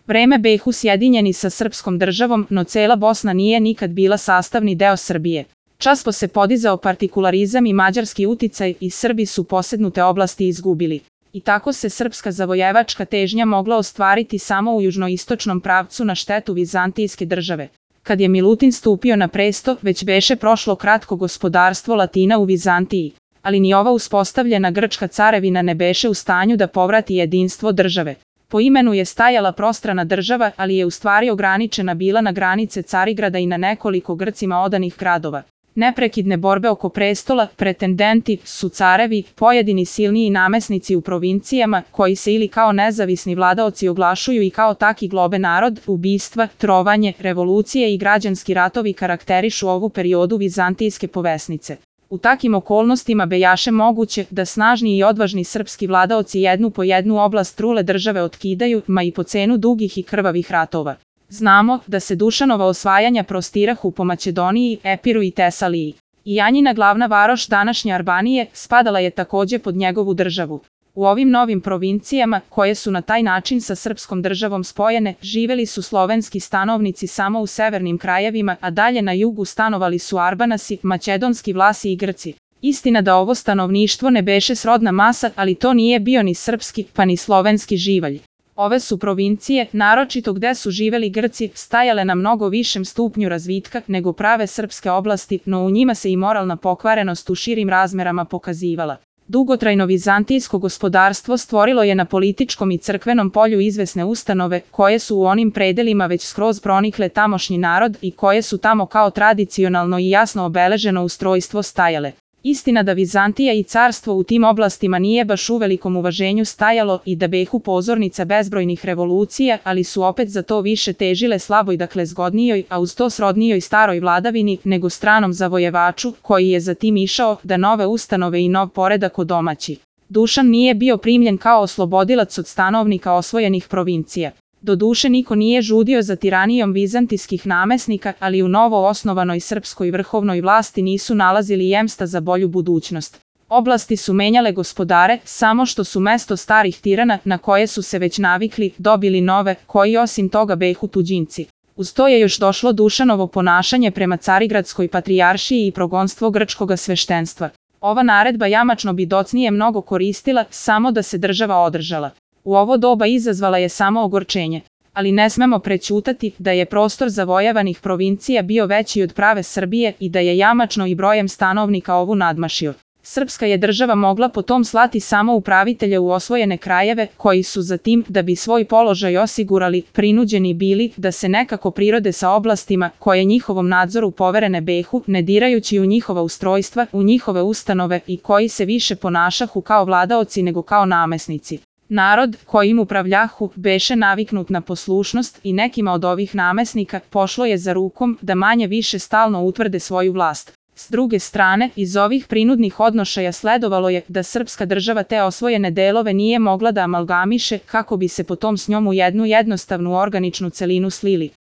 vreme Behu sjedinjeni sa srpskom državom, no cela Bosna nije nikad bila sastavni deo Srbije. Časpo se podizao partikularizam i mađarski uticaj i Srbi su posednute oblasti izgubili. I tako se srpska zavojevačka težnja mogla ostvariti samo u južnoistočnom pravcu na štetu vizantijske države. Kad je Milutin stupio na presto, već beše prošlo kratko gospodarstvo Latina u Vizantiji, ali ni ova uspostavljena grčka carevina ne beše u stanju da povrati jedinstvo države. Po imenu je stajala prostrana država, ali je u stvari ograničena bila na granice Carigrada i na nekoliko Grcima odanih gradova. Neprekidne borbe oko prestola, pretendenti su carevi, pojedini silniji namesnici u provincijama, koji se ili kao nezavisni vladaoci oglašuju i kao taki globe narod, ubistva, trovanje, revolucije i građanski ratovi karakterišu ovu periodu vizantijske povesnice. U takim okolnostima bejaše moguće da snažni i odvažni srpski vladaoci jednu po jednu oblast trule države otkidaju, ma i po cenu dugih i krvavih ratova. Znamo da se Dušanova osvajanja prostirahu po Makedoniji, Epiru i Tesaliji. I Janjina glavna varoš današnje Arbanije spadala je takođe pod njegovu državu. U ovim novim provincijama, koje su na taj način sa srpskom državom spojene, živeli su slovenski stanovnici samo u severnim krajevima, a dalje na jugu stanovali su Arbanasi, makedonski Vlasi i Grci. Istina da ovo stanovništvo ne beše srodna masa, ali to nije bio ni srpski, pa ni slovenski živalj. Ove su provincije, naročito gde su živeli Grci, stajale na mnogo višem stupnju razvitka nego prave srpske oblasti, no u njima se i moralna pokvarenost u širim razmerama pokazivala. Dugotrajno vizantijsko gospodarstvo stvorilo je na političkom i crkvenom polju izvesne ustanove, koje su u onim predelima već skroz pronikle tamošnji narod i koje su tamo kao tradicionalno i jasno obeleženo ustrojstvo stajale. Istina da Vizantija i carstvo u tim oblastima nije baš u velikom uvaženju stajalo i da behu pozornica bezbrojnih revolucija, ali su opet za to više težile slaboj, dakle zgodnijoj, a uz to srodnijoj staroj vladavini nego stranom zavojevaču, koji je za tim išao da nove ustanove i nov poredak odomaći. Dušan nije bio primljen kao oslobodilac od stanovnika osvojenih provincija. Doduše niko nije žudio za tiranijom vizantijskih namesnika, ali u novo osnovanoj srpskoj vrhovnoj vlasti nisu nalazili jemsta za bolju budućnost. Oblasti su menjale gospodare, samo što su mesto starih tirana, na koje su se već navikli, dobili nove, koji osim toga behu tuđinci. Uz to je još došlo Dušanovo ponašanje prema Carigradskoj patrijaršiji i progonstvo grčkoga sveštenstva. Ova naredba jamačno bi docnije mnogo koristila, samo da se država održala. U ovo doba izazvala je samo ogorčenje, ali ne smemo prećutati da je prostor zavojevanih provincija bio veći od prave Srbije i da je jamačno i brojem stanovnika ovu nadmašio. Srpska je država mogla potom slati samo upravitelje u osvojene krajeve, koji su za tim, da bi svoj položaj osigurali, prinuđeni bili da se nekako prirode sa oblastima koje njihovom nadzoru poverene behu, ne dirajući u njihova ustrojstva, u njihove ustanove i koji se više ponašahu kao vladaoci nego kao namesnici. Narod, kojim upravljahu, beše naviknut na poslušnost i nekima od ovih namesnika pošlo je za rukom da manje više stalno utvrde svoju vlast. S druge strane, iz ovih prinudnih odnošaja sledovalo je da srpska država te osvojene delove nije mogla da amalgamiše kako bi se potom s njom u jednu jednostavnu organičnu celinu slili.